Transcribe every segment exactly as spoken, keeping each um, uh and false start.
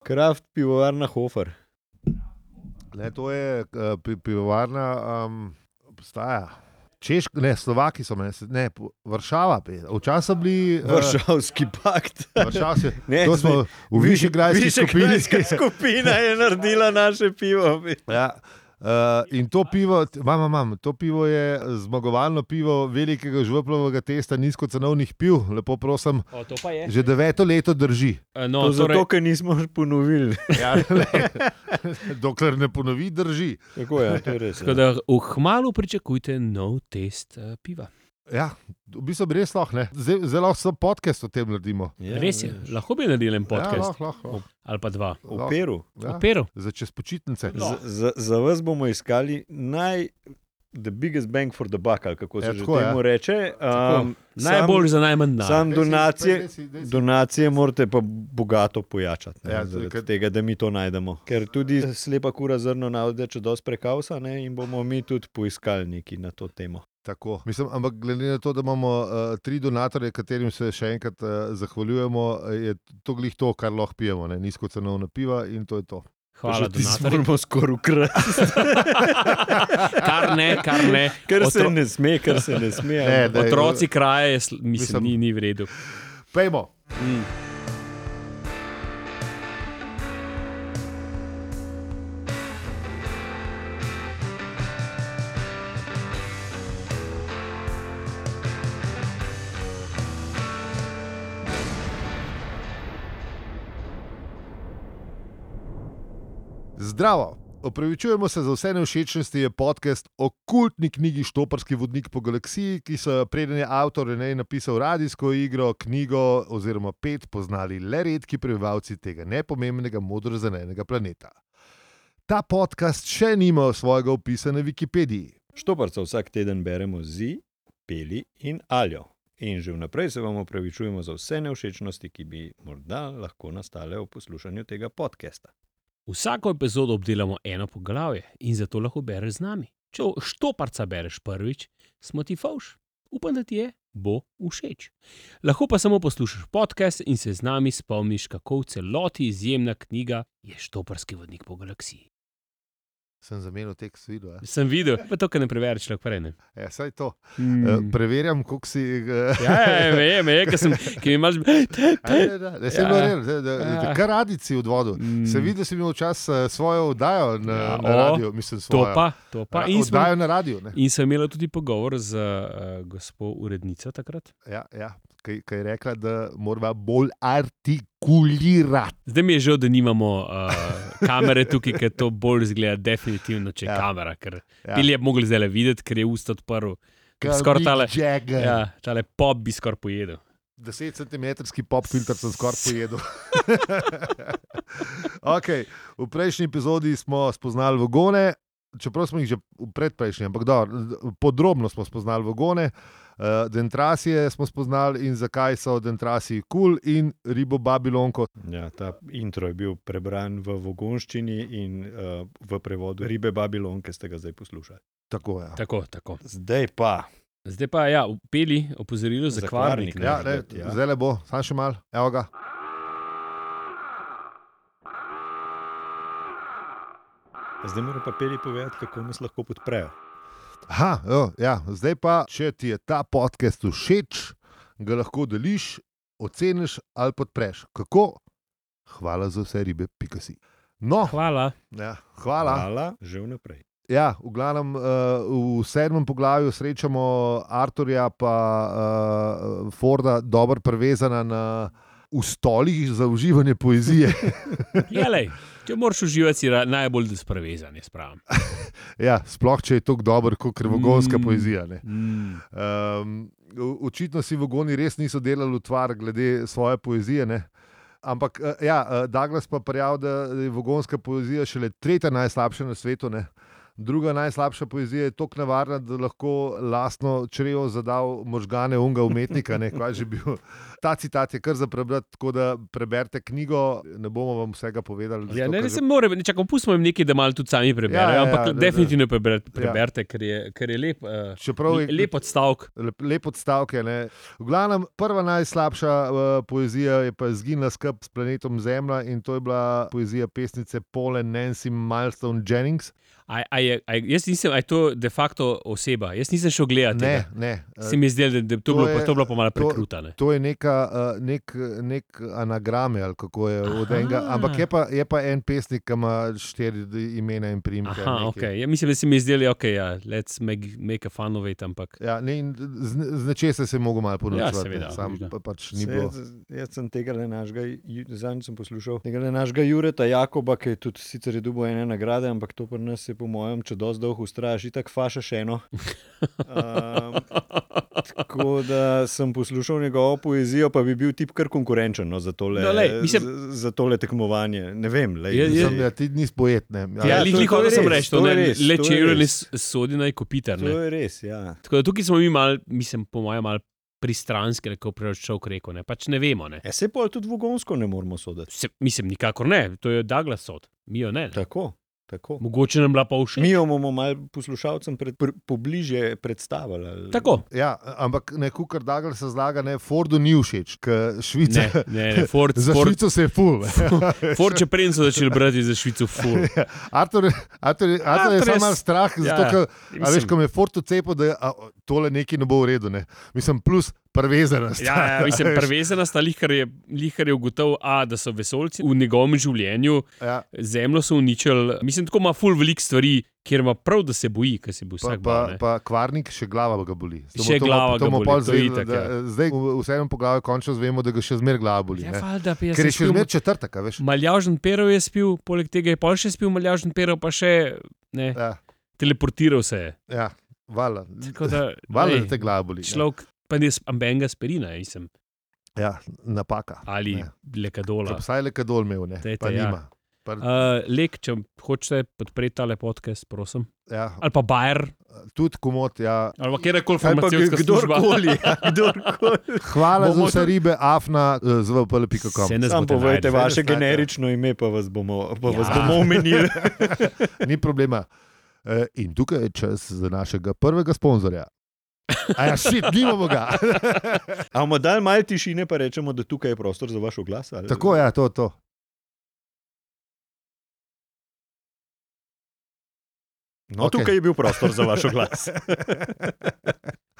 Kraft pivovarna Hofer. Ne, to je uh, pivovarna, um, obstaja. Češki, ne, Slovaki so me, ne, Varšava, včasih so bili... Uh, Varšavski pakt. Varšavski, ne, to smo v Višegrajski skupini. Višegrajska skupina je naredila naše pivo. Ja. Uh, in to pivo, mam, mam, to pivo je zmagovalno pivo velikega žveplovega testa nizkocenovnih piv, lepo prosim, o, to pa je. Že deveto leto drži. No, to torej... zato, ker nismo ponovili. Ja, dokler ne ponovi, drži. Tako je, to je res. Tako da v hmalu pričakujte nov test uh, piva. Ja, v bistvu bi res lahko, ne. Zelo lahko podcast o tem naredimo. Ja, res je, res. Lahko bi naredili en podcast. Ja, lahko, lahko. Ali pa dva. V Peru. Ja. V Peru. Za čez počitnice. Za, za, za vas bomo iskali naj, the biggest bang for the buck, ali kako se ja, že tako, temu ja. reče. Um, Najbolj za najmanj dan. Sam donacije, desi, desi, desi. donacije morate pa bogato pojačati. Ne, ja, zaradi kaj... tega, da mi to najdemo. Ker tudi slepa kura zrno navde, če dosti prekavsa, ne, in bomo mi tudi poiskali neki na to temo. Tako, mislim, ampak glede na to, da imamo uh, tri donatorje, katerim se še enkrat uh, zahvaljujemo, je to glih to, kar lahko pijemo, ne? Nizkocenovna piva in to je to. Hvala, donatorji. Moramo skoraj ukrasti. Kar ne, kar ne. Kar se Otro... ne sme, kar se ne sme. Ne, daj, Otroci kraje, mislim, mislim, ni, ni v redu. Pejmo. Mm. Zdravo! Opravičujemo se za vse nevšečnosti, je podcast o kultni knjigi Štoparski vodnik po galaksiji, ki so preden je avtor Renej napisal radijsko igro, knjigo oziroma pet poznali le redki prebivalci tega nepomembnega modrozelenega planeta. Ta podcast še nima svojega opisa na Wikipediji. Štoparca vsak teden beremo z, Peli in Aljo. In že vnaprej se vam opravičujemo za vse nevšečnosti, ki bi morda lahko nastale v poslušanju tega podcasta. Vsako epizodo obdelamo eno poglavje in zato lahko bereš z nami. Če Štoparca bereš prvič, smo ti fovš. Upam, da ti je, bo všeč. Lahko pa samo poslušaš podcast in se z nami spomniš, kako v celoti izjemna knjiga je Štoparski vodnik po galaksiji. Sem zamenil tekst videl. Ja. Sem videl, pa to, kar ne preverjaš, lahko prej ne. Ja, saj to. Mm. Uh, preverjam, koliko si... Uh... Ja, ja, vem, je, ker sem, ki mi imaš... Ja, da, da, sem ja. da, da, da, kar radici v odvodu. Mm. Se vidi, da si imel čas svojo oddajo na, ja, na radio, mislim svojo. To pa, to pa. In oddajo smo, na radio, ne. In sem imela tudi pogovor z uh, gospo urednico takrat. Ja, ja. Kaj, kaj je rekla, da morava bolj artikulirati. Zdaj mi je žal, da nimamo uh, kamere tukaj, ker to bolj izgleda definitivno, če je ja. kamera. Ker ja. Bili je mogli zdaj videti, ker je usta odprl. Skoraj tale, ja, tale pop bi skoraj pojedel. Deset centimetrski pop filter sem skoraj pojedel. Okay. V prejšnji epizodi smo spoznali vagone, čeprav smo jih že v predprejšnji, ampak da, podrobno smo spoznali vagone. Uh, dentrasije smo spoznali in zakaj so dentrasiji kul cool in ribo Babilonko. Ja, ta intro je bil prebran v vogonščini in uh, v prevodu ribe Babilonke ste ga zdaj poslušali. Tako, ja. Tako, tako. Zdaj pa. Zdaj pa, ja, v Peli opozorilo za kvarnik. Ja, ne, ja. Zdaj le bo, sam še mal, evo ga. Zdaj mora pa Peli povedati, kako nas lahko podprejo. Aha, jo, ja, zdaj pa, če ti je ta podcast všeč, ga lahko deliš, oceniš ali podpreš. Kako? Hvala za vse ribe, pika si. No, hvala. Ja, hvala. Hvala, že vnaprej. Ja, v glavnem uh, v sedmem poglavju srečamo Arturja pa uh, Forda dobro prevezana na v stolih za uživanje poezije. Ja, lej, če moraš uživati, si najbolj desprevezan, jaz pravim. Ja, sploh, če je tako dober kot krvogonska mm, poezija. Ne. Mm. Um, očitno si vogoni res niso delali utvar glede svoje poezije, ne. Ampak, ja, Douglas pa prijav, da je vogonska poezija šele tretja najslabša na svetu, ne. Druga najslabša poezija je toliko nevarna, da lahko lastno črevo zadal možgane unga umetnika. Ne, kaj že bil. Ta citat je kar za prebrati, tako da preberite knjigo, ne bomo vam vsega povedali. Ja, ne, ne se more, čakam, pustimo jim nekaj, da malo tudi sami preberejo, ja, ja, ampak ja, definitivno preberite, preberite ja. ker, je, ker je lep, uh, Čeprav je lep odstavek. Lep, lep odstavek je, ne. V glavnem, prva najslabša uh, poezija je pa Zginila skup s planetom Zemlja in to je bila poezija pesnice Paule Nancy Milestone Jennings. A, a je, a jaz nisem, a je to de facto oseba? Jaz nisem šel gledati. Ne, ne. Se mi zdi, da, da to, to, bilo, je, pa, to bilo pa malo prekruta. Ne? To, to je neka, uh, nek, nek anagrame, ali kako je od enega, ampak je pa, je pa en pesnik, ki ima štiri imena in priimke. Aha, ok. Ja, mislim, da se mi zdi, ok, ja, let's make, make a fun of it, ampak... Ja, ne, z, z nečesa se je mogel malo ponočevati. Ja, seveda. Sam pa pač ni bilo. Jaz sem tega le našega, zadnjič sem poslušal, tega le našega Jureta Jakoba, ki je tudi sicer je dobil ene nagrade, ampak to pri nas je po mojem, če dosti dolgo ustrajaš, itak fašaš eno. Um, tako da sem poslušal njegovo poezijo, pa bi bil tip kar konkurenčen no, za, tole, no, lej, mislim, za, za tole tekmovanje. Ne vem. Lej, je, je, ja, ti nisi poet. Ne. Ja, ja, lih nikoli sem reč, to, to ne, res, le če Jure ne sodi na Kopitar. To je res, ja. Tako da tukaj smo mi mal, mislim, po mojem, mal pristranski, kako preračal reko, ne, pač ne vemo. Ne. Ja, se pa tudi vogonsko ne moramo soditi. Se, mislim, nikakor ne, to je Douglas sod, mi jo ne. ne. Tako. Tako. Mogoče nam bila pa všeč. Mi jo bomo malo poslušalcem pred, pr, pobliže predstavili. Tako. Ja, ampak neko, kar Douglas razlaga, ne, Fordu ni všeč, ker Švica... Ne, ne, ne, Ford... za Ford, Švico se je ful. Ford če prej so začeli brati za Švico ful. Ja, Artur, Artur, Artur je samo malo strah, ja, zato, ker, a veš, ko me je Ford ucepil, da a, tole nekaj ne bo v redu, ne. Mislim, plus prvezenost. Ja, ja, mislim, prvezenost, lihkar je, lihkar je ugotovil, a, da so vesoljci v njegovem življenju, ja. Zemljo so uničili. Mislim, tako ima ful veliko stvari, kjer ima prav, da se boji, ker se bo vsak pa, bal. Pa Kvarnik, še glava ga boli. Še to, glava to, to ga boli, to je itak, da, ja. Zdaj v vsem poglavju končno zvemo, da ga še zmer glava boli. Ja, valda, ja, ker je še zmer četrtek, veš. Maljažen Perov je spil, poleg tega je pol še spil Maljažen Perov, pa še ne, ja. Teleportiral se je. Ja, vala. Da, vala, da te glava boli. Človek, pa ne ambenga aspirina, nisem. Ja, napaka. Ali ne. Lekadola. Vsaj lekadol imel, ne, Tete, pa ja. nima. Par... Uh, Lek, če hočete podpreti tale podcast, prosim. Ja. Ali pa Bayer. Tudi komod, ja. Ali pa kjerkoli farmacijska služba. Kdorkoli. Hvala Bomo za vse ribe, afna, z v p l pika com. Sam povejte vaše generično ime, pa vas bomo, pa ja. vas bomo omenili. Ni problema. In tukaj je čas za našega prvega sponzorja. A ja, šit, nimamo ga. A bomo dali malo tišine, pa rečemo, da tukaj je prostor za vaš oglas? Ali... Tako, ja, to, to. No, okay. Tukaj je bil prostor za vaš oglas.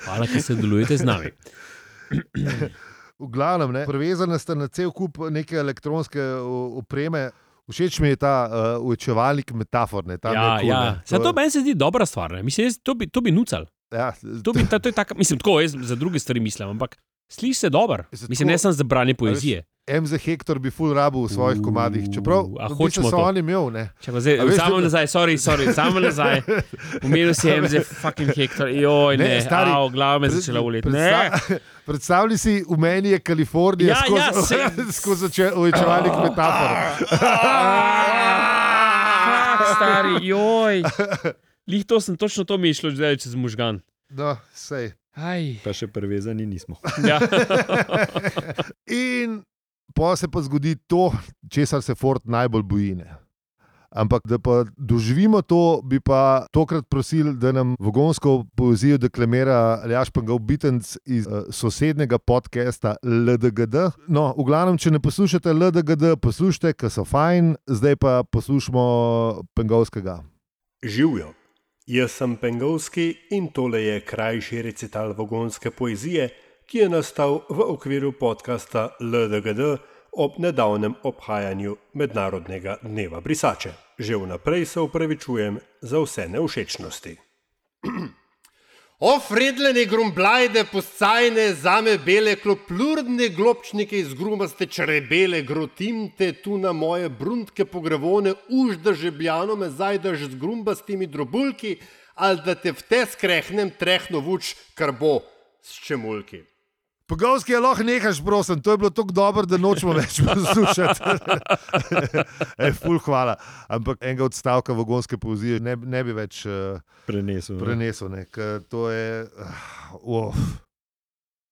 Hvala, ker se delujete z nami. V glavnem, ne, prevezane ste na cel kup neke elektronske opreme. Všeč mi je ta uh, učevalnik metafor. Ne, ja, cool, ja. To... to meni se zdi dobra stvar. Ne. Mislim, jaz, to bi, to bi nucal. Ja, to bi, ta, to je tak, mislim, tako, jaz za druge stvari mislim, ampak sliši se dober. Mislim, ne sem za branje poezije. M Z Hektor bi ful rabu v svojih komadih, čeprav hočemo so oni imel, ne. Samo nazaj, sorry, sorry, samo nazaj. Umenil si M Z fucking Hektor, joj, ne, ne au, glava me začela uleti. Predstav, predstavljaj si, v meni je Kalifornija ja, skozi, ja, skozi učevalnik metafor. Stari, joj. Lih to sem, točno to mi je šlo zdaj čez možgan. No, sej. Aj. Pa še prevezani nismo. Ja. In pa se pa zgodi to, česar se Ford najbolj boji. Ne. Ampak da pa doživimo to, bi pa tokrat prosil, da nam vogonsko poezijo deklamira Aljaž Pangov Bitenc iz uh, sosednjega podcasta L D G D. No, v glavnem, če ne poslušate L D G D, poslušajte, ker so fajn, zdaj pa poslušamo Pengovskega. Živjo. Jaz sem Pengovski in tole je krajši recital vogonske poezije, ki je nastal v okviru podcasta L D G D ob nedavnem obhajanju Mednarodnega dneva brisače. Že vnaprej se upravičujem za vse nevšečnosti. O fredlene grumblajde puscajne, zame bele kloplurdne globčnike iz grumaste črebele, grotimte tu na moje bruntke pogrevone, už da žebljano me zajdaš z grumbastimi drobulki, ali da te v te skrehnem trehno vuč, kar bo s čemulki. Pogovski je lahko nehaš, prosim, to je bilo tako dobro, da nočemo več poslušati. Ej, ful, hvala. Ampak enega odstavka vagonske poezije ne, ne bi več uh, prenesel. prenesel ne, ker to je uh, oh,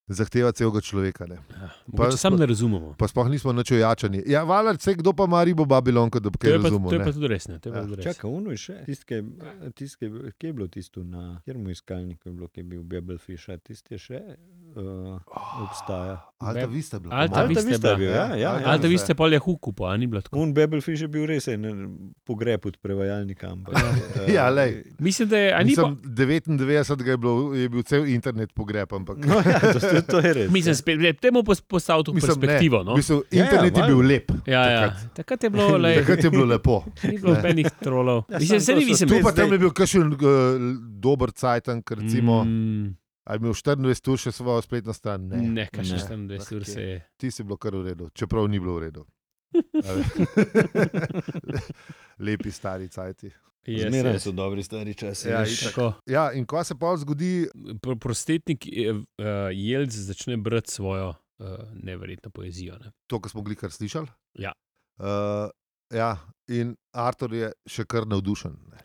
zahteva celega človeka. Ne. Ja, mogoče sam ne razumemo. Pa sploh nismo nič ojačani. Ja, valjda, vse kdo pa ima ribo Babilonko, da bi kaj razumel. To je pa tudi res, ne. To je pa tudi res. Čakaj, ono je še, tistke, tistke, kje je bilo tisto na, kjer mu iskalniku je bilo, kje je bil Babelfish, a tiste še uh, obstaja. Alta Vista je bila. Alta Vista je bila, ja, ja, ja. Alta Vista je pol je huku, pa ni bilo tako. Un Babelfish je bil res en pogreb od prevajalnika. Ampak, uh, ja, lej. Mislim, da je, a ni pa... devetindevetdeset je, bilo, je bil cel internet pogreb, ampak... No, ja, to, to je res. Mislim, spet, temu postavil to perspektivo, ne, no? Mislim, internet ja, ja, je bil lep. Ja, ja. Takrat je bilo, lej... Takrat je bilo lepo. Ni bilo benih trolov. Ja, mislim, se ni, mislim... Tu pa tam je bil kakšen uh, dober cajtank, recimo... Mm. Ali imel štiriindvajset ur še svojo spletno stran? Ne, ne kakšen štiriindvajset ur se je. Ti si bilo kar v redu, čeprav ni bilo v redu. Lepi stari cajti. Yes, Zmeraj yes. so dobri stari časi. Ja, ja, in ko se pa zgodi... Prostetnik uh, Jelc začne brati svojo uh, neverjetno poezijo. Ne? To, ko smo glikar slišali? Ja. Uh, ja. In Artur je še kar navdušen. Ne?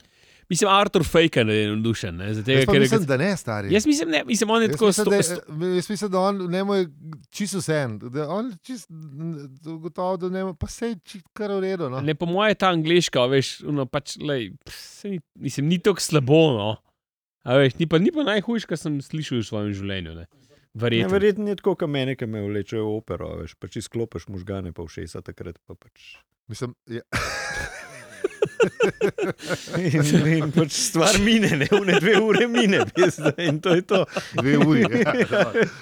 Mislim, Artur Fejka je navdušen. Ne? Tega, jaz pa mislim, da ne, stari. Jaz mislim, ne, mislim, on je jaz tako... Mislim, sto, da, sto... Jaz mislim, da on ne more čisto vsem. On čisto gotovo, da ne more, pa sej čisto kar v redu. No? Ne, po moje ta angliška, veš, no, pač, lej, ni, mislim, ni tako slabo, no. A veš, ni pa, ni pa najhujš, kar sem slišal v svojem življenju, ne. Verjetno. Ja, verjetno je tako, kot mene, ki me vlečejo v opero, veš, pa če sklopiš možgane pa všesa takrat, pa pač... Mislim, ja... in, in pač stvar mine, ne, une dve ure mine, in to je to. Dve uri, ja.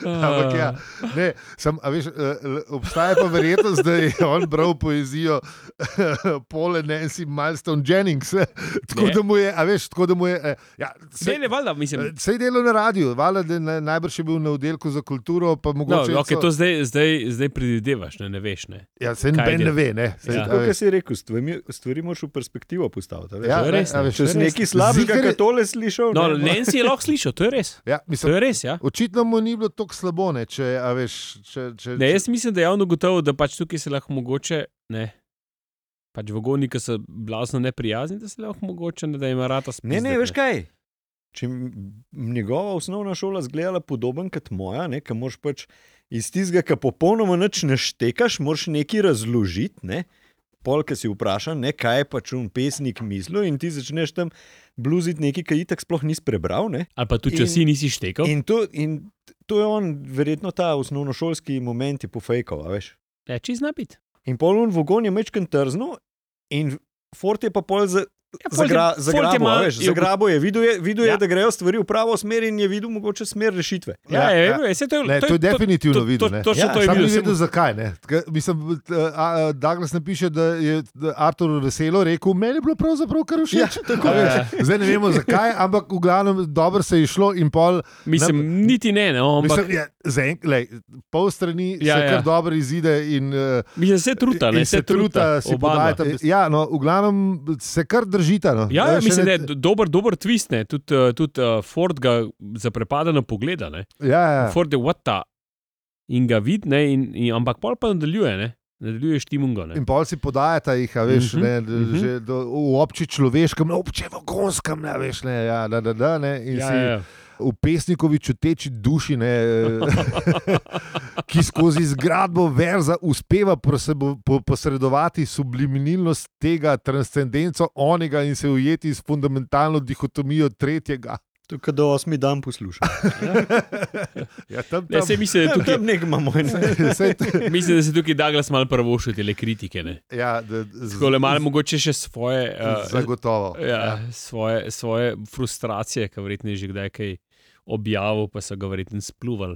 Ampak ja, ne, sem, a veš, obstaja pa verjetnost, da je on bral poezijo Paula Nancy Milestone Jennings, tako da mu je, a veš, tako da mu je, ja, sej, ne, valjda, mislim. Sej delo na radiju, valjda, da najbrž je bil na oddelku za kulturo, pa mogoče... No, ok, to zdaj, zdaj, zdaj predvidevaš, ne, ne veš, ne. Ja, sej noben ne ve, ne. Sej, ja. Tako, kaj si rekel, stvari, stvari moraš v perspektivo postaviti, veš? Ja, to je res, ne, ne. Veš, če si nekaj slabega, kaj tole slišal, no, ne. Nancy je lahko slišal, to je res. Ja, mislim, to je res, ja. Očitno mu ni bilo toliko slabo, ne, če, a veš, če... če ne, jaz mislim, da je javno gotovo, da pač tukaj se lahko mogoče, ne, pač vagoni, ki so blazno neprijazni, da se lahko mogoče, ne, da ima rata spizdet. Ne, ne, veš kaj, če njegova osnovna šola zgledala podoben kot moja, ne, ki moraš pač iz tistega, ki popolnoma nič ne štekaš, moraš nekaj razložiti, ne, pol, ki si vprašan, ne, kaj je pač un pesnik mislil in ti začneš tam bluziti nekaj, ki itak sploh nisi prebral, ne. Ali pa tudi, če si nisi štekal. In to, in to je on, verjetno ta osnovnošolski moment je pofejkal, a veš. Ja, če zna biti. In pol un vagon je mečken trzno in Ford je pa pol za... Ja, Zagra, zagrabo, mal, veš, zagrabo je, videl je, videl ja. je, da grejo stvari v pravo smer in je videl mogoče smer rešitve. Ja, ja, ja. Je, to, je, ne, to, to je definitivno videl. To, to, to, ja, to je sam videl. Ni vedel, zakaj. Ne. Mislim, Douglas napiše, da je Artur veselo rekel, meni je bilo pravzaprav kar všeč. Ja, tako je. Ja. Zdaj ne vemo, zakaj, ampak v glavnem dobro se je šlo in pol... Mislim, ne, niti ne, no, ampak... Mislim, ja, zen, lej, pol strani ja, se ja. kar dobro izide in... Mislim, se truta, ne, se, se truta. Si podajta. Ja, no, v glavnem se kar držita, no. Ja, ja mislim, da je dober, dober twist, ne. Tudi tud, uh, Ford ga zaprepadeno pogleda, ne. Ja, ja. Ford je what ta in ga vidi, ne, in, in, ampak pol pa nadaljuje, ne. Nadaljuje štimungo, ne. In pol si podajata jih, a veš, uh-huh, ne, uh-huh. že do, v obči človeškem, obče vagonskem, ne, veš, ne, ja, da, da, da, ne, in ja, si ja. v pesnikovi čuteči duši, ne, ki skozi zgradbo verza uspeva posredovati subliminilnost tega, transcendenco onega in se ujeti s fundamentalno dihotomijo tretjega. Tukaj do osmi dan poslušam. Ja, tam, tam. Ne, se misli, da tukaj... Tam nek imamo. Mislim, da se tukaj Douglas malo prvošil tele kritike, ne. Ja, da... Skole malo mogoče še svoje... Uh, zagotovo. Ja, ja. Svoje, svoje frustracije, ki verjetno je že kdaj kaj objavil, pa so ga verjetno spluvali,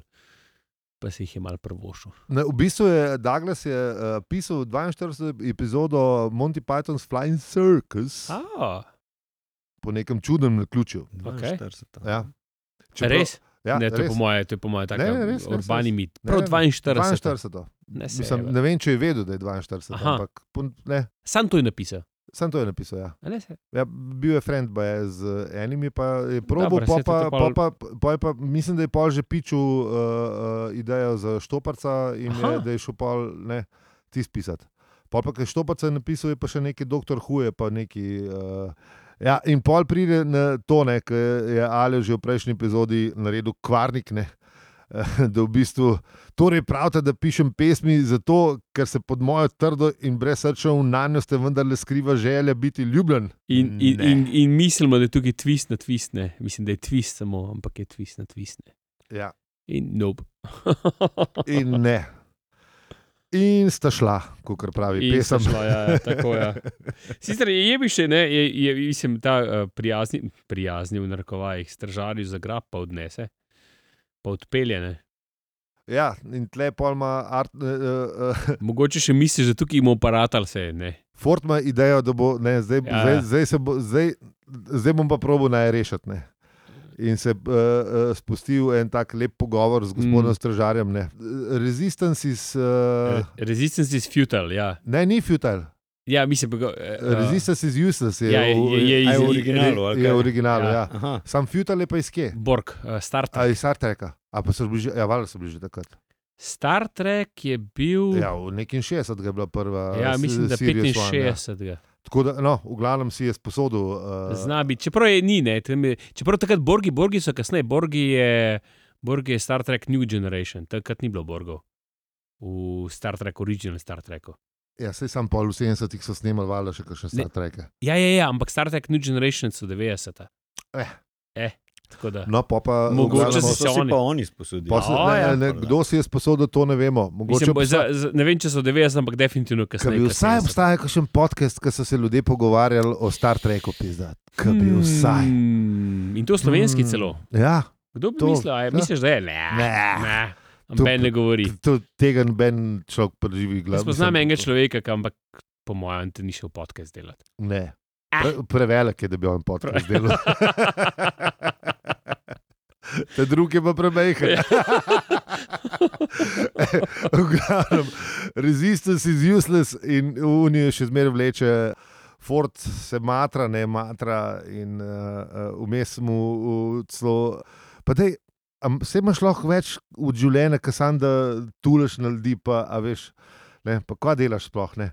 pa se jih je malo prvošil. Ne, v bistvu je Douglas je, uh, pisal dvainštirideseto epizodo Monty Python's Flying Circus. Ah. Po nekem čudnem naključju. Okay. Ja. Čeprav, res? Ja, ne, to res. je po moje, to je po moje taka ne, ne, res, urbani res, mit. Prav dvainštirideseto. dvainštirideseto. Ne, Mislim, ne vem, če je vedel, da je dvainštirideseto, ampak ne. Sam to je napisal. Sam to je napisal, ja. A ne se? Ja, bil je friend, ba je z enimi, pa je probo, Dobro, pa, saj to pa, te pa, pol- pa, pa, pa mislim, da je pol že pičil uh, uh, idejo za Štoparca in je, Aha. da je šel pol, ne, tis pisati. Pol pa, kaj Štoparca je napisal, je pa še neki doktor Huje, pa neki... Uh, ja, in pol pride na to, ne, ker je Aljo že v prejšnji epizodi naredil kvarnik, ne, da v bistvu, torej pravite, da pišem pesmi zato, ker se pod mojo trdo in brezsrčno nanjo ste vendarle skriva želja biti ljubljen. In, in, Ne. in, in mislimo, da je tukaj twist na twist, ne. Mislim, da je twist samo, ampak je twist na twist, ne. Ja. In nope. In ne. In sta šla, kot pravi In sta pesem. šla, ja, ja, tako, ja. Sicer je bi še, ne, je, je mislim, ta uh, prijazni, prijazni v narekovajih stržarju za grab pa odnese, pa odpelje, ne. Ja, in tle pol ima art, uh, uh, Mogoče še misliš, da tukaj ima aparat ali se, ne. Ford ima idejo, da bo, ne, zdaj, Ja, zdaj, ja. zdaj, se bo, zdaj, zdaj bom pa probil naj rešiti, ne. In se uh, uh, spustil en tak lep pogovor z gospodom Mm. mm. Stražarjem, ne. Resistance is... Uh, Re- Resistance is futile, ja. ne, ni futile. Ja, mislim, pa... Uh, Resistance is useless. Je, Ja, je- je- je A je iz- v originalu, ali Je kaj? v originalu, Ja. ja. Aha. Sam futile je pa iz kje? Borg, uh, Star Trek. A iz Star Treka. A pa so bili že, ja, valjda so bili že takrat. Star Trek je bil... Ja, v nekim šestdesetih je bila prva. Ja, s- mislim, da Sirius One, ja. petinšestdesetega. Tako da, no, v glavnem si je sposodil. Uh, Zna biti, čeprav je ni, ne, tam je, čeprav takrat Borgi, Borgi so kasneje, Borgi je, Borgi je Star Trek New Generation, takrat ni bilo Borgov v Star Trek, original Star Treku. Ja, sej sam pol v sedemdesetih so snemali valjda še kakšne Ne. Star Treke. Ja, ja, ja, ampak Star Trek New Generation so devetdeseta. Eh. Eh, tako da. No, pa pa... v Mogoče glavnem- si so se si oni- pa oni sposodili. Pa se, Ja, ne, ja. ne, kdo si je sposodil, to ne vemo. Mogoče Mislim, bo, za, obsta- za, ne vem, če so devetdeseta, ampak definitivno Ka kasneje. bi kot vsaj sedemdeseta. obstajal kakšen podcast, ki so se ljudje pogovarjali o Star Treku, pizda. Ka bi vsaj. Hmm, in to slovenski Mm, celo. Ja, Kdo bi to, mislil, a je, ja. misliš, da je? Ne, Ne. ne. To- Noben ne govori. to, tega noben človek preživi glav. Jaz poznam enega človeka, ki ampak po mojem te ni šel podcast delati. Ne. Pre, prevelik je, da bi on podcast delal. Te druge pa premehne. V glavnem, resistance is useless in Unijo še zmeraj vleče. Ford se matra, ne matra in uh, vmes mu uh, celo. Pa dej, vse imaš lahko več v življenju, ki sam da tuleš na ljudi, pa a veš, ne, pa kva delaš sploh, ne.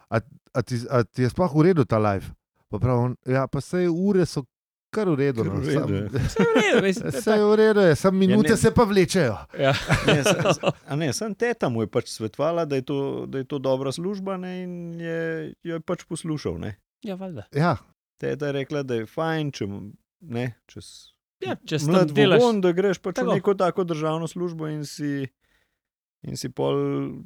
A, a, ti, a ti je sploh v redu ta live? Pa prav, ja, pa sej ure so kar v redu. Kar No, v redu, ja. Vse je v redu, veš, to je Vse je v redu, je, samo minute ne. se pa vlečejo. Ja. Ne, sa- sa- a ne, sem teta mu je pač svetovala, da je to, da je to dobra služba, ne, in je, jo je pač poslušal. Ne. Ja, valjda. Ja, Teta je rekla, da je fajn, če, mu- ne, če s- Ja, če s mlad tem delaš. vogon, da greš pač Tako. v neko tako državno službo in si, in si pol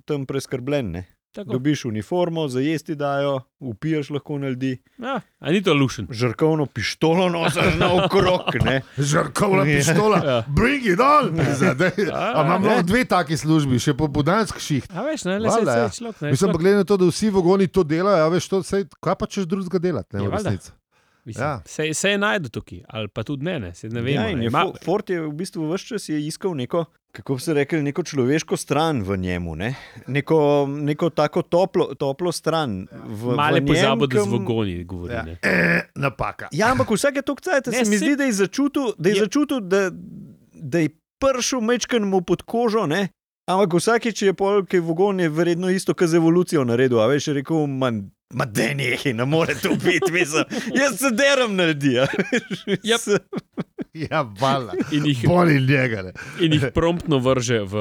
tam preskrbljen. Ne. Tako. Dobiš uniformo, za jesti dajo, upiješ lahko na ljudi, Ja, a ni to lušen. žrkovno pištolo nosiš naokrog. ne. žrkovna Ja. pištola, Ja. bring it on! Zdaj, Ja, a imam ne. lahko dve taki službi, še popoldanski šiht. A veš, ne, le se Valjda, ja. je človek. Ne, Mislim, pa človek- glede na to, da vsi vogoni to delajo, a veš, to, sej, kaj pa češ drugega delati, ne, Ja, v valjda. resnici. Mislim, Ja. se, se je najdu tukaj, ali pa tudi ne, ne, se ne vemo. Ja, in ne. je Ma- Fo- Ford je v bistvu vse čas je iskal neko, kako bi se rekel, neko človeško stran v njemu, ne? neko, neko tako toplo, toplo stran. V, Male v njem, pozabo, da z kam- vogoni govori. Ja. Ne. E, napaka. Ja, ampak vsake toliko cajt Ne, se mi saj- zdi, da je začutil, da je, Je- začutil, da, da je pršel mečken mu pod kožo, ne? Ampak vsakeč je pol, ki je vogon, je verjetno isto, kot z evolucijo naredil. A veš, je rekel, man, ma da nekaj, ne more to biti, mislim. Jaz se deram na ljudi. a veš, Yep. Ja, vala. In jih, Boli njega, ne. in jih promptno vrže v.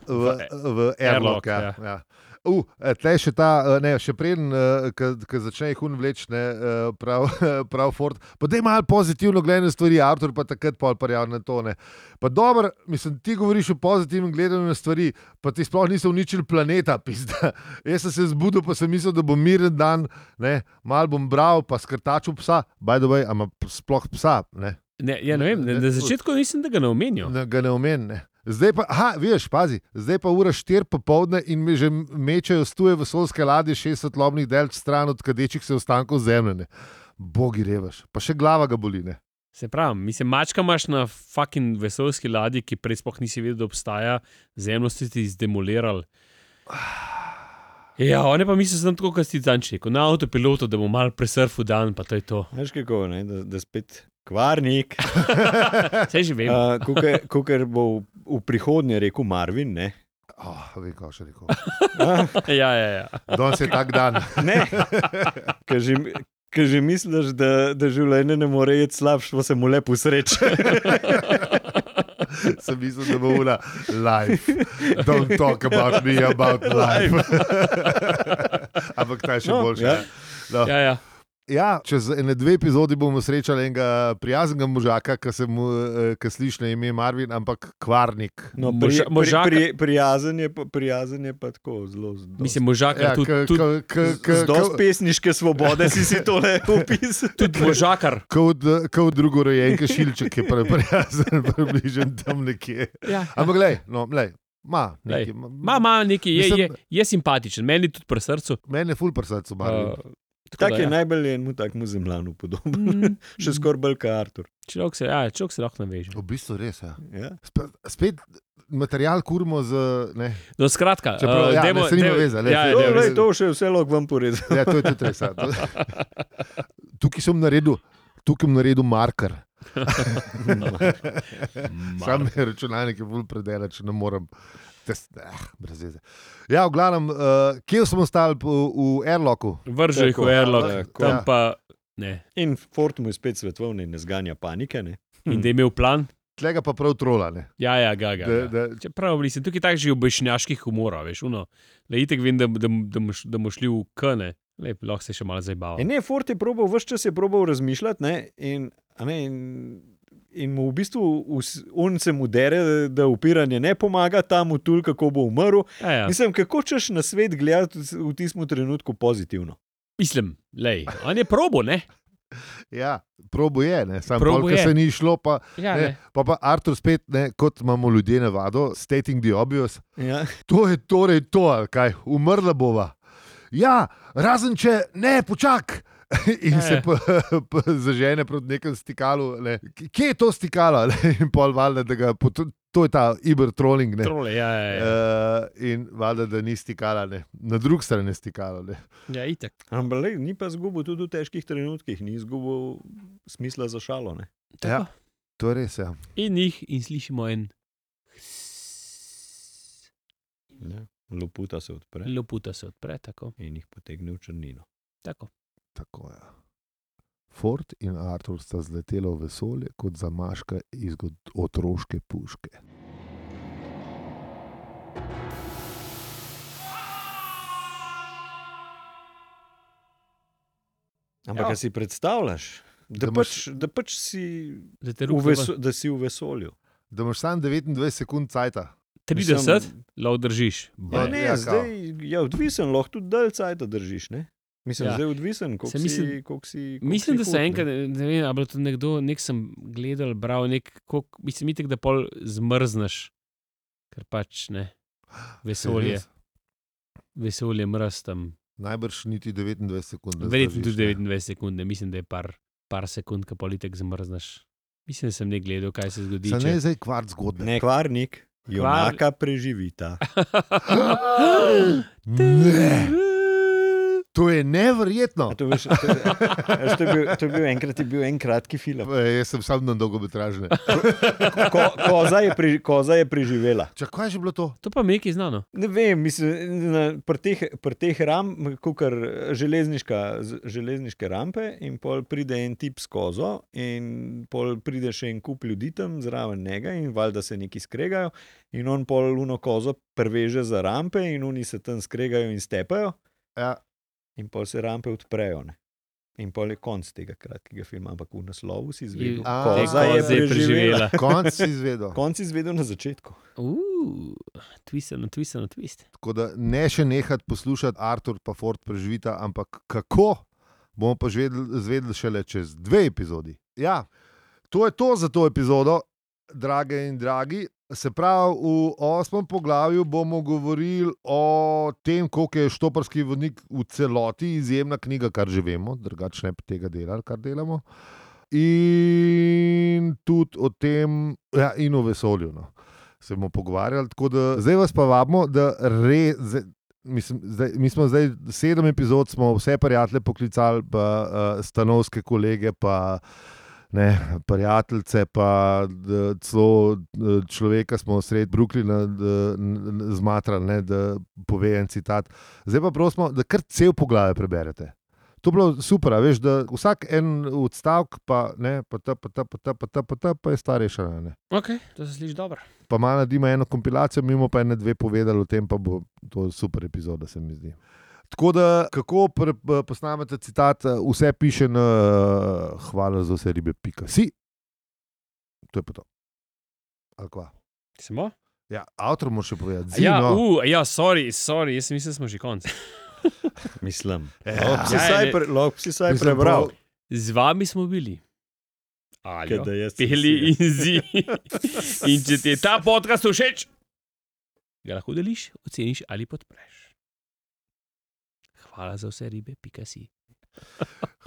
Uh, V, v Airlock, Airlock, ja. ja. ja. Uh, tle še ta, eh, ne, še preden, ko začne jih un vleč, ne, eh, prav, prav Ford. Pa daj malo pozitivno gledanje stvari, avtor pa takrat pol parjav na to, ne. Pa dobro, mislim, ti govoriš o pozitivnem gledanju na stvari, pa ti sploh niso uničili planeta, pizda. Jaz sem se zbudil, pa sem mislil, da bom miren dan, ne, mal bom bral, pa skrtačil psa, by the way, ama sploh psa, ne. ne, ja, ne vem, ne, na začetku nisem tega ne omenil. Ne, ga ne omenim. Ne. Zdaj pa, aha, veš, pazi, zdaj pa ura štiri popovdne in me že mečejo stuje vesoljske ladje šest svetlobnih delč stran od kadečih se ostankov zemlje. Ne. Bogi revaš, pa še glava ga boli. Ne. Se pravi, mislim, mačka imaš na fucking vesoljski ladji, ki prej sploh nisi vedel, da obstaja, zemljo si ti zdemolirali. Ja, on je pa mislil, da sem tako, kot si danč rekel, na avtopilotu, da bo mal presurfil dan, pa to je to. Veš kako, ne, da, da spet kvarnik. Saj že vem. Uh, Kukor bo v, v prihodnje rekel Marvin, ne? Oh, vem, kaj še rekel. ja, ja, ja. Danes je tak dan. Ne, ker že, ker že misliš, da, da življenje ne more iti slabše, pa se mu lepo sreče. Sem mislil, da bo ura life. Don't talk about me, about life. Ampak ta je še No, boljše. ja. No. ja, ja. Ja, čez ene dve epizodi bomo srečali enega prijaznega možaka, ki se mu ki sliši na ime Marvin, ampak kvarnik. No, Moža- pri, pri, možaka- pri, prijazen, je pa, prijazen je pa tako zelo. z dosti- Mislim, možakar, Ja, tudi, k- tudi, k- k- k- z dosti pesniške svobode si si tole opisal. tudi možakar. Kot kot drugorojenke šilček je pre- prijazen, približen tam nekje. Ja. Ampak glej, no, glej, ma, Lej, nekaj, Ma, ma, neki, je, je, Mislim- je simpatičen, meni tudi pri srcu. meni je ful pri srcu Marvin. Uh, Tak je najbolj enemu takmu zemljanu podoben. Mm, Še skoraj bolj kot Artur. človek se, ja, človek se lahko naveže. V bistvu res, ja. Ja. Spet, spet material kurimo z, ne, No, skratka, Čeprav, uh, ja, dajmo- ne, se nima dajmo- veze, lej, ja, saj- ja, To, dajmo- lej, to še vse lahko vam porezam. ja, to je tudi res. Ja. To- Tukaj sem naredil, tukaj sem naredil marker. Sam je računalnik je bolj predelač, ne morem. Tes, eh, brez veze. Ja, v glavnem, uh, kje smo stali v, v Airlocku? Vrže jih v Tako, airlock, tako. tam Ja. pa ne. In Ford mu je spet svetovni, ne zganja panike. Ne? In da je imel plan, Tlega pa prav trola. Ne? ja, ja, ga, ga. Da, ga. da, Čeprav nisem tukaj tak že obešnjaških humorov, veš, uno. Le itek vem, da, da, da, bomo š- da bomo šli v kane, lep, lahko se še malo zabavamo. E ne, Ford je probal, vse čas je probal razmišljati, ne? In, a ne, in, in mu v bistvu us- on se mu dere, da upiranje ne pomaga, tam mu tul, kako bo umrl. Ja, ja. Mislim, kako češ na svet gledati v tistem trenutku pozitivno. Mislim, lej, on je probo, ne? ja, probo je, ne? Sam Probo pol, ko je. se ni šlo, pa, Ja, ne, ne. pa, pa Artur spet, ne, kot imamo ljudje navado, stating the obvious. Ja. To je torej to, ali kaj, umrla bova. Ja, razen če ne, počak. In Ja, se ja. pa, pa zažene proti nekemu stikalu. Ne. Kje je to stikalo? Ne? In pol valjda, da ga, pot- to je ta iber-trolling. Ne. Trole, ja, ja, ja. Uh, in valjda, da ni stikala, ne. Na drugi strani je stikalo. Ne. Ja, itek. Ampak lej, ni pa zgubil tudi v težkih trenutkih, ni zgubil smisla za šalo. Ne? Tako. To je res, ja. In jih in slišimo en Ja. Loputa se odpre loputa se odpre, tako. in jih potegne v črnino. tako. Tako je. Ford in Artur sta zletela v vesolje kot zamaška iz god- otroške puške. Ampak, Ja. ja. si predstavljaš, da, Da pač, imaš- da pač si, Da te v ruke veso, da si v vesolju. Da imaš samo devetindvajset sekund cajta. trideset, lahko držiš. Ja, Ja, ne, ja, ja, kao. zdaj je odvisen, lahko tudi dalj cajta držiš. Ne? Mislim, Ja. ja. zdaj je odvisen, koliko Se mislim- si, koliko si. koliko Mislim, si da se hud, ne. enkrat, ne, ne vem, ali je bilo to nekdo, nek sem gledal, bral, nek, kolik, mislim, itek, da pol zmrzneš, ker pač ne, vesolje, Res? vesolje mraz tam. Najbrž niti devetindvajset sekund. ne Verjetno zdržiš, tudi ne. devetindvajset sekund, ne, mislim, da je par, par sekund, ko politek zmrzneš. Mislim, da sem ne gledal, kaj se zgodi. Sa če- ne zdaj kvart zgodbe. Ne, kvarnik, junaka preživita. Ne. To je neverjetno. A to, veš, to, veš, to, je bil, to je bil enkrat je bil en kratki film. E, Jaz sem sam na dolgometražne. Ko, koza, je pri, koza je preživela. Čak, kaj je že bilo to? To pa mi je znano. Ne vem, mislim, na- pri teh, pri teh ram, kukar železniška, z- železniške rampe, in pol pride en tip s kozo, in pol pride še en kup ljudi tam zraven njega, in valjda se neki skregajo, in on pol uno kozo preveže za rampe, in oni se tam skregajo in stepajo, Ja. in pol se rampe odprejo. Ne? In pol je konc tega kratkega filma, ampak v naslovu si izvedel, Je- A, koza je koza je preživela. preživela. Konc si izvedel. Konc si izvedel na začetku. Uf, twist na twist na twist. Tako da ne še nehati poslušati Artur pa Ford preživita, ampak kako, bomo pa zvedeli šele čez dve epizodi. Ja, to je to za to epizodo, drage in dragi. Se pravi, v osmem poglavju bomo govorili o tem, koliko je Štoparski vodnik v celoti izjemna knjiga, kar že vemo, drugače ne bi tega delali, kar delamo. In tudi o tem, ja, in o vesolju. No. Se bomo pogovarjali. Tako da zdaj vas pa vabimo, da re, zdaj, mislim, zdaj, mi smo zdaj sedem epizod, smo vse prijatelje poklicali, pa uh, stanovske kolege, pa ne, prijateljice, pa d, celo d, človeka smo sred Brooklyna zmatrali, ne, da pove en citat. Zdaj pa prosimo, da kar cel poglavje preberete. To je bilo super, veš, da vsak en odstavek, pa ne, pa ta, pa ta, pa ta, pa ta, pa ta, pa je stvar rešena, ne. Ok, to se sliši dobro. Pa malo naredimo eno kompilacijo, mimo pa ene dve povedali o tem, pa bo to super epizoda, se mi zdi. Tako da, kako pre, posnamete citat, vse piše na uh, hvala za vse ribe, pika si. To je pa to. Ali kva? Smo? Ja, avtor mora še povedati. Zino. Ja, uh, ja, sorry, sorry, jaz mislim, da smo že konc. Mislim. Ja. Lahko si saj prebral. Z vami smo bili. Aljo, Kaj da jaz sem Peli si. in Zi. In če ti je ta podcast všeč, ga lahko deliš, oceniš ali podpreš. Hvala za vse ribe, pika si.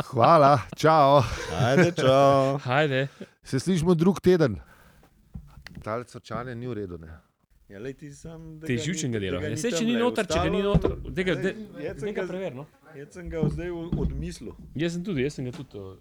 Hvala, čao. Ajde, čau. Hajde. Se slišimo drug teden. Tale srčanje ni v redu, ne? Ja, lej, ti sam, Te živčen ga delo. Ja, se, če ni noter, če ga ni noter, daj ga, daj, Jaz sem daj ga ga- prever, no. Jaz sem ga zdaj odmislil. Jaz sem tudi, jaz sem ga tudi. uh,